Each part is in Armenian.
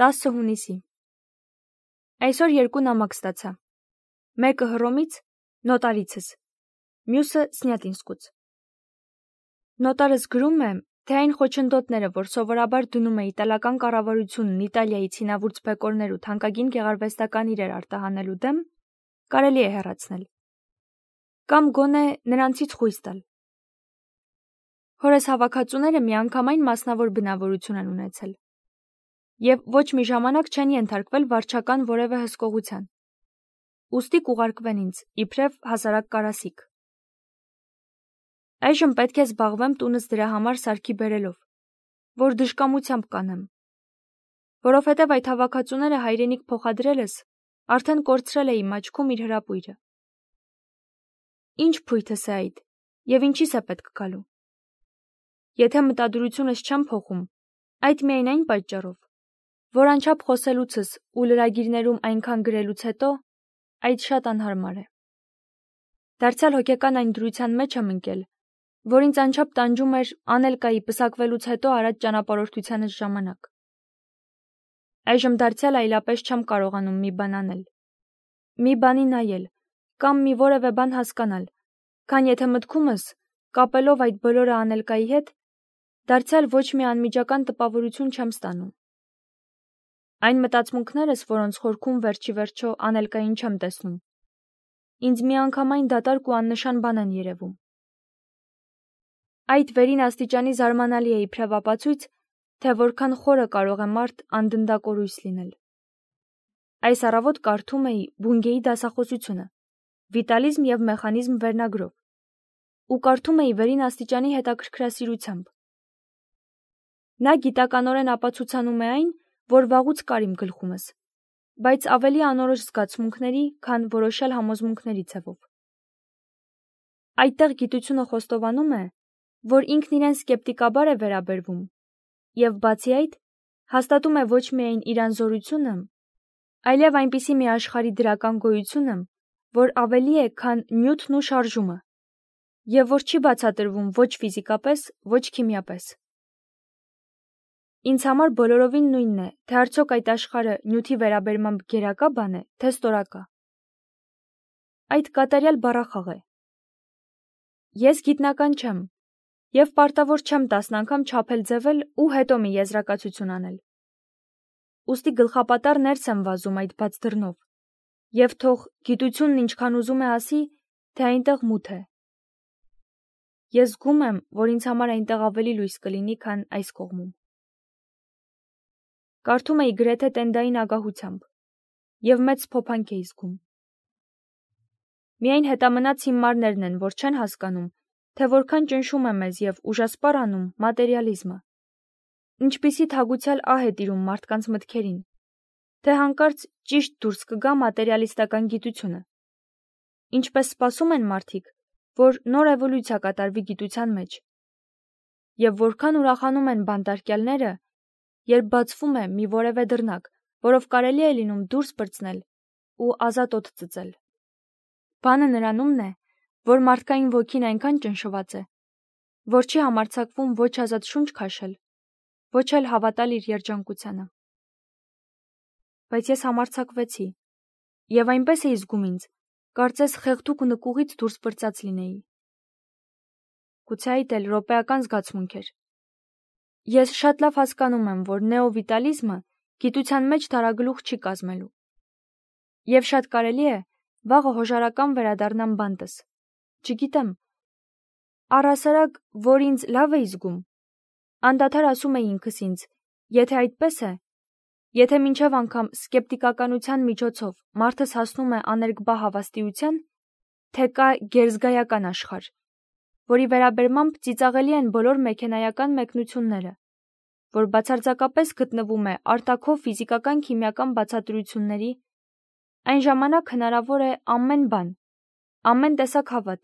10 հունիսի։ Այսօր 2 նամակ ստացա։ Մեկը Հռոմից, նոտարիցս, մյուսը Սնյատինսկուց։ Նոտարս գրում է, թե այն խոչընդոտները, որ սովորաբար դնում է իտալական կառավարությունն Իտալիայի ցինավուրց բեկորներ ու թանկագին գեղարվեստական իրեր արտահանելու դեմ, կարելի է հեռացնել։ Կամ գոնե նրանցից խույս տալ։ Հորս հավաքածուները միանգամայն մասնավոր բնավորություն են ունեցել։ Եվ ոչ մի ժամանակ չեն ենթարկվել վարչական որևէ հսկողության։ Ուստի կուղարկվեն ինձ, իբրև հասարակ կարասիք։ Այժմ պետք է զբաղվեմ տունս դրա համար սարքի բերելով, որ դժկամությամբ կանեմ։ Որովհետև այդ հավաքածուները հայրենիք փոխադրելս արդեն կորցրել է իմ աչքում իր հրապույրը։ Ինչ փույթս է այդ, և ինչիս է պետք գալու։ Եթե մտադրությունս չեմ փոխում, այդ միայն այն պատճառով, որ անչափ խոսելուցս ու լրագիրներում այնքան գրելուց հետո, այդ շատ անհարմար է։ Դարձյալ հոգեկան այն դրության մեջ եմ ընկել, որ ինձ անչափ տանջում էր Անելկայի պսակվելուց հետո արած ճանապարհորդությանս ժամանակ։ Այժմ դարձյալ այլապես չեմ կարողանում մի բան անել, մի բանի նայել, կամ մի որևէ բան հասկանալ, քան եթե մտքումս, կապելով այդ բոլորը Անելկայի հետ, դարձյալ ոչ մի անմիջական տպավորություն չեմ ստանում։ Այն մտածմունքներս, որոնց խորքում վերջի վերջո Անելկային չեմ տեսնում, ինձ միանգամայն դատարկ ու աննշան բան են երևում։ Այդ վերին աստիճանի զարմանալի է իբրև ապացույց, թե որքան խորը կարող է մարդ անդնդակորույս լինել։ Այս առավոտ կարդում էի Բունգեի դասախոսությունը, վիտալիզմ և մեխանիզմ վերնագրով, ու կարդում էի վերին աստիճանի հետաքրքրասիրությամբ։ Նա գիտականորեն ապացուցանում է այն, որ վաղուց կար իմ գլխումս, բայց ավելի անորոշ զգացմունքների, քան որոշյալ համոզմունքների ցևով։ Այդտեղ գիտությունը խոստովանում է, որ ինքն իրեն սկեպտիկաբար է վերաբերվում, և բացի այդ, հաստատում է ոչ միայն իր անզորությունը, այլև այնպիսի մի աշխարհի դրական գոյությունը, որ ավելի է, քան նյութն ու շարժումը, և որ չի բացատրվում ոչ ֆիզիկապես, ոչ քիմիապես։ Ինձ համար բոլորովին նույնն է, թե արդյոք այդ աշխարհը նյութի վերաբերմամբ գերակա բան է, թե ստորակա։ Այդ կատարյալ բառախաղ է։ Ես գիտնական չեմ, և պարտավոր չեմ 10 անգամ չափել-ձևել ու հետո մի եզրակացություն անել։ Ուստի գլխապատառ ներս եմ վազում այդ բաց դռնով, և թող գիտությունն ինչքան ուզում է ասի, թե այնտեղ մութ է։ Ես զգում եմ, որ ինձ համար այնտեղ ավելի լույս կլինի, քան այս կողմում։ Կարդում էի գրեթե տենդային ագահությամբ, և մեծ փոփանք էի զգում։ Միայն հետամնաց հիմարներն են, որ չեն հասկանում, թե որքան ճնշում է մեզ և ուժասպառ անում մատերիալիզմը, ինչպիսի թագուցյալ ահ է տիրում մարդկանց մտքերին, թե հանկարծ ճիշտ դուրս կգա մատերիալիստական գիտությունը, ինչպես սպասում են մարդիկ, որ նոր էվոլյուցիա կատարվի գիտության մեջ, և որքան ուրախանում են բանտարկյալները, երբ բացվում է մի որևէ դռնակ, որով կարելի է լինում դուրս պրծնել ու ազատ օդ ծծել։ Բանը նրանումն է, որ մարդկային ոգին այնքան ճնշված է, որ չի համարձակվում ոչ ազատ շունչ քաշել, ոչ էլ հավատալ իր երջանկությանը։ Բայց ես համարձակվեցի, և այնպես էի զգում ինձ, կարծես խեղդուկ նկուղից դուրս պրծած լինեի։ Գուցե այդ էլ րոպեական զգացմունք էր։ Ես շատ լավ հասկանում եմ, որ նեովիտալիզմը գիտության մեջ դարագլուխ չի կազմելու։ Եվ շատ կարելի է, վաղը հոժարական վերադառնամ բանտս։ Չգիտեմ, առհասարակ, որ ինձ լավ էի զգում, անդադար ասում էի ինքս ինձ, եթե այդպես է, եթե մինչև անգամ սկեպտիկականության միջոցով մարդս հասնում է աներկբա հավաստիության, թե կա գերզգայական աշխարհ, որի վերաբերմամբ ծիծաղելի են բոլոր մեքենայական մեկնությունները, որ բացարձակապես գտնվում է արտաքո ֆիզիկական-քիմիական բացատրությունների, այն ժամանակ հնարավոր է ամեն բան, ամեն տեսակ հավատ,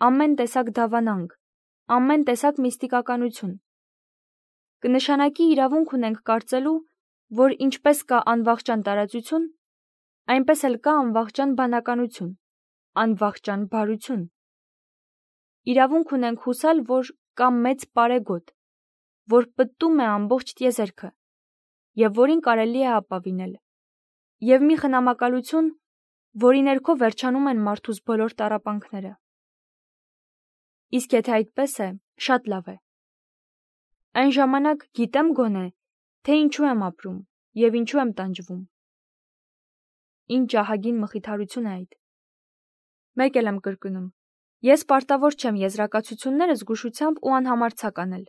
ամեն տեսակ դավանանք, ամեն տեսակ միստիկականություն։ Կնշանակի իրավունք ունենք կարծելու, որ ինչպես կա անվախճան տարածություն, այնպես էլ կա անվախճան բանականություն, անվախճան բարություն։ Իրավունք ունենք հուսալ, որ կա մեծ պարեգոտ, որ պտտում է ամբողջ տիեզերքը, և որին կարելի է ապավինել, և մի խնամակալություն, որի ներքո վերջանում են մարդուս բոլոր տառապանքները։ Իսկ եթե այդպես է, շատ լավ է։ Այն ժամանակ գիտեմ գոնե, թե ինչու եմ ապրում և ինչու եմ տանջվում։ Ինչ ահագին մխիթարություն է այդ։ Մեկ էլ եմ կրկնում. ես պարտավոր չեմ եզրակացություններս զգուշությամբ ու անհամարձակ անել։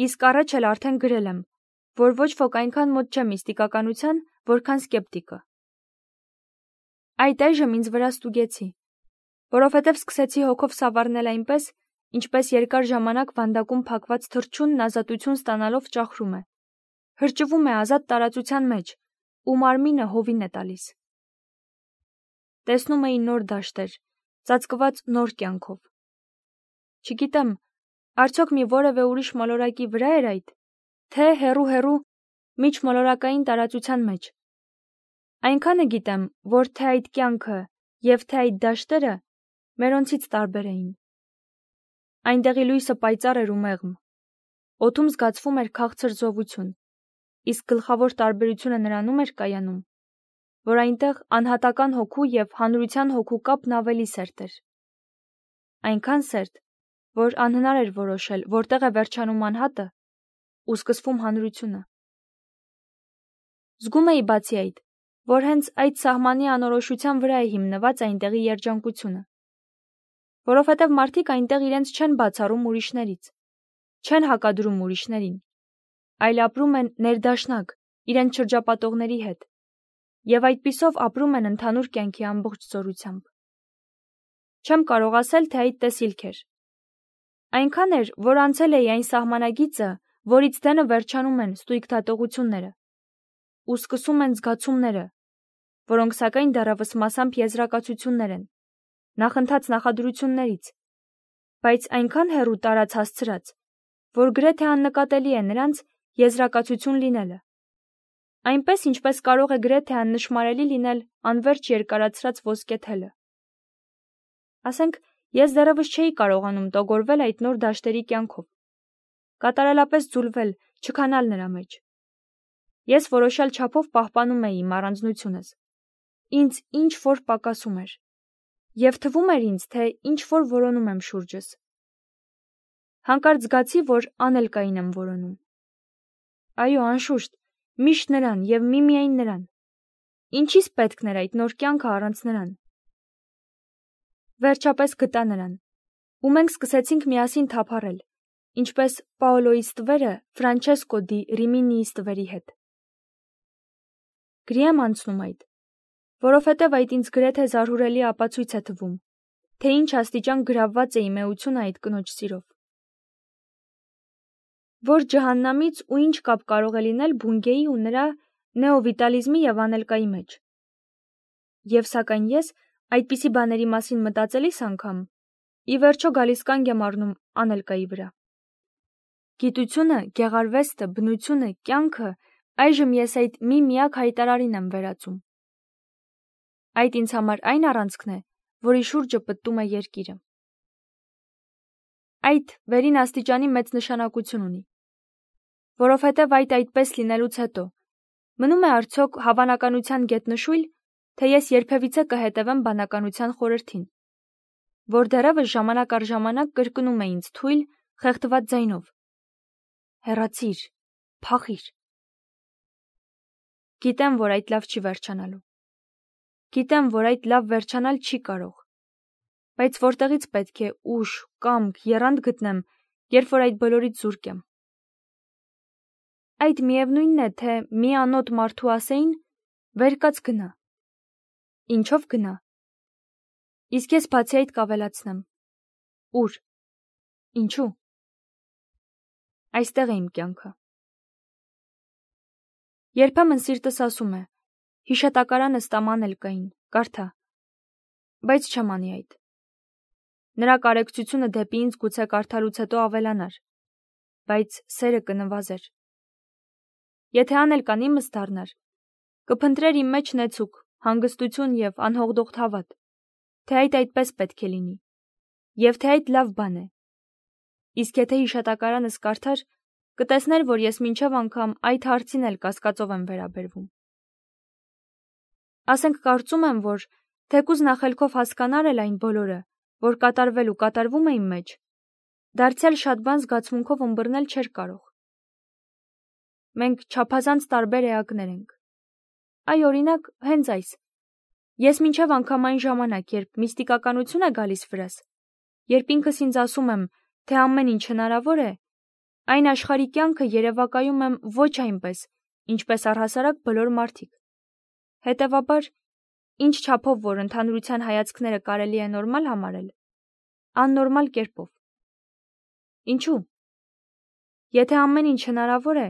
Իսկ առաջ էլ արդեն գրել եմ, որ ոչ ոք այնքան մոտ չէ միստիկականության, որքան սկեպտիկը։ Այդ այժմ ինձ վրա ստուգեցի, որովհետև սկսեցի հոգով սավառնել այնպես, ինչպես երկար ժամանակ վանդակում փակված թռչունն ազատություն ստանալով ճախրում է, հրճվում է ազատ տարածության մեջ ու մարմինը հովին է տալիս։ Տեսնում էի նոր դաշտեր, ծածկված նոր կյանքով։ Չգիտեմ, արդյոք մի որևէ ուրիշ մոլորակի վրա էր այդ, թե հեռու միջմոլորակային տարածության մեջ։ Այնքանը գիտեմ, որ թե այդ կյանքը և թե այդ դաշտերը մերոնցից տարբեր էին։ Այնտեղի լույսը պայծառ էր ու մեղմ, օդում զգացվում էր քաղցր զովություն, իսկ գլխավոր տարբերությունը նրանում էր կայանում, որ այնտեղ անհատական հոգու և հանրության հոգու կապն ավելի սերտ էր։ Այնքան սերտ, որ անհնար էր որոշել, որտեղ է վերջանում անհատը ու սկսվում հանրությունը։ Զգում էի բացի այդ, որ հենց այդ սահմանի անորոշության վրա է հիմնված այնտեղի երջանկությունը, որովհետև մարդիկ այնտեղ իրենց չեն բացառում ուրիշներից, չեն հակադրում ուրիշներին, այլ ապրում են ներդաշնակ իրենց շրջապատողների հետ և այդպիսով ապրում են ընդհանուր կյանքի ամբողջ զորությամբ։ Չեմ կարող ասել, թե այդ տեսիլք էր։ Այնքան էր, որ անցել էի այն սահմանագիծը, որից դենը վերջանում են ստույգ դատողությունները ու սկսում են զգացումները, որոնք սակայն դեռևս մասամբ եզրակացություններ են, նախընթաց նախադրություններից, բայց այնքան հեռու տարած հասցրած, որ գրեթե աննկատելի է նրանց եզրակացություն լինելը, այնպես ինչպես կարող է գրեթե աննշմարելի լինել անվերջ երկարացրած ոսկե թելը։ Ասենք, ես դեռևս չէի կարողանում տոգորվել այդ նոր դաշտերի կյանքով, կատարելապես ձուլվել, չքանալ նրա մեջ։ Ես որոշյալ չափով պահպանում էի իմ առանձնությունս, ինձ ինչ-որ պակասում էր, և թվում էր ինձ, թե ինչ-որ որոնում եմ շուրջս։ Հանկարծ զգացի, որ անելկային եմ որոնում։ Այո, անշուշտ, միշտ նրան և միմիայն նրան։ Ինչի՞ս պետքն էր այդ նոր կյանքը առանց նրան։ Վերջապես գտա նրան, ու մենք սկսեցինք միասին թափառել, ինչպես Պաոլոյի ստվերը Ֆրանչեսկո դի Ռիմինիի ստվերի հետ։ Գրի եմ անցնում այդ, որովհետև այդ ինձ գրեթե զարհուրելի ապացույց է թվում, թե ինչ աստիճան գրավված է իմ էությունը այդ կնոջ սիրով։ Որ ջհաննամից ու ինչ կապ կարող է լինել Բունգեի ու նրա նեովիտալիզմի և անելկայի մեջ։ Եվ սակայն ես այդպիսի բաների մասին մտածելիս անգամ ի վերջո գալիս կանգ եմ առնում անելկայի վրա։ Գիտությունը, գեղարվեստը, բնությունը, կյանքը այժմ ես այդ մի միակ հայտարարին եմ վերածում։ Այդ ինձ համար այն առանցքն է, որի շուրջը պտտում է երկիրը։ Այդ վերին աստիճանի մեծ նշանակություն ունի, որովհետև այդ այդպես լինելուց հետո մնում է արդյոք հավանականության գետնշույլ, թե ես երբևիցե կհետևեմ բանականության խորհրդին, որ դեռևս ժամանակ առ ժամանակ կրկնում է ինձ թույլ, խեղդված ձայնով. հեռացիր, փախիր։ Գիտեմ, որ այդ լավ չի վերջանալու։ Գիտեմ, որ այդ լավ վերջանալ չի կարող, բայց որտեղից պետք է ուժ, կամք, եռանդ գտնեմ, երբ որ այդ բոլորից զուրկ եմ։ Այդ միևնույնն է, թե մի անոտ մարդու ասեին, վեր կաց գնա։ Ինչով գնա։ Իսկ ես բացի այդ կավելացնեմ. ուր։ Ինչու։ Այստեղ է իմ կյանքը։ Երբեմն սիրտս ասում է. հիշատակարանը ստաման ելկային, կարդա, բայց չեմ անի այդ։ Նրա կարեկցությունը դեպի ինձ գուցե կարդալուց հետո ավելանար, բայց սերը կնվազեր։ Եթե անելկան իմս դառնար, կփնտրեր իմ մեջ նեցուկ, հանգստություն և անհողդողդ հավատ, թե այդ այդպես պետք է լինի, և թե այդ լավ բան է։ Իսկ եթե հիշատակարանս կարդար, կտեսներ, որ ես մինչև անգամ այդ հարցին էլ կասկածով եմ վերաբերվում։ Ասենք կարծում եմ, որ թեկուզ նախելքով հասկանար էլ այն բոլորը, որ կատարվել ու կատարվում է իմ մեջ, դարձյալ շատ բան զգացմունքով ըմբռնել չէր կարող։ Մենք չափազանց տարբեր էակներ ենք։ Այ օրինակ, հենց այս։ Ես մինչև անգամ այն ժամանակ, երբ միստիկականություն է գալիս վրաս, երբ ինքս ինձ ասում եմ, թե ամեն ինչ հնարավոր է, այն աշխարհի կյանքը երևակայում եմ ոչ այնպես, ինչպես առհասարակ բոլոր մարդիկ։ Հետևաբար, ինչ չափով որ ընդհանրության հայացքները կարելի է նորմալ համարել, աննորմալ կերպով։ Ինչու՞։ Եթե ամեն ինչ հնարավոր է,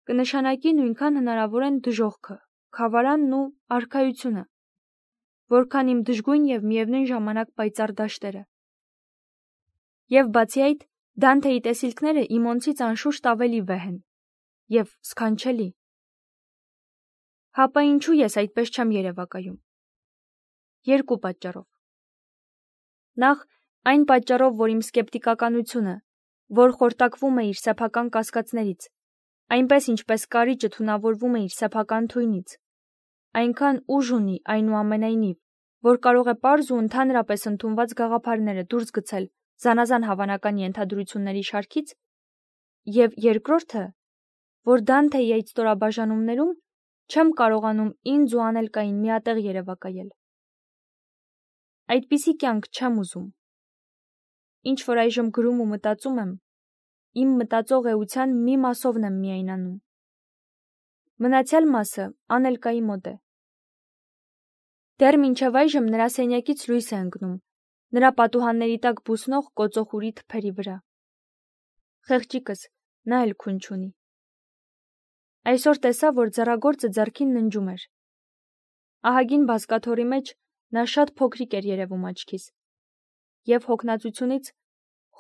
կնշանակի նույնքան հնարավոր են դժոխքը, խավարանն ու արքայությունը, որքան իմ դժգույն և միևնույն ժամանակ պայծառ դաշտերը։ Եվ բացի այդ, Դանթեի տեսիլքները իմոնցից անշուշտ ավելի վեհ են և սքանչելի։ Հապա ինչու ես այդպես չեմ երևակայում։ Երկու պատճառով։ Նախ, այն պատճառով, որ իմ սկեպտիկականությունը, որ խորտակվում է իր սեփական կասկածներից, այնպես ինչպես կարիճը թունավորվում է իր սեփական թույնից, այնքան ուժ ունի այնուամենայնիվ, որ կարող է պարզ ու ընդհանրապես ընդունված գաղափարները դուրս գցել զանազան հավանական ենթադրությունների շարքից, և երկրորդը, որ Դանթեի այդ ստորաբաժանումներում չեմ կարողանում ինձ ու անելկային միատեղ երևակայել։ Այդպիսի կյանք չեմ ուզում։ Ինչ որ այժմ գրում ու մտածում եմ, իմ մտածող էության մի մասովն եմ միայն անում։ Մնացյալ մասը անելկայի մոտ է։ Դեռ մինչև այժմ նրա սենյակից լույս է ընկնում, նրա պատուհանների տակ բուսնող կոծոխուրի թփերի վրա։ Խեղճիկս, նա էլ քուն չունի։ Այսօր տեսա, որ ձեռագործը ձեռքին ննջում էր։ Ահագին բազկաթոռի մեջ նա շատ փոքրիկ էր երևում աչքիս, և հոգնածությունից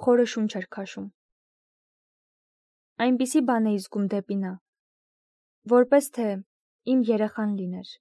խորը շունչ էր քաշում։ Այնպիսի բան էի զգում դեպի նա, որպես թե իմ երեխան լիներ։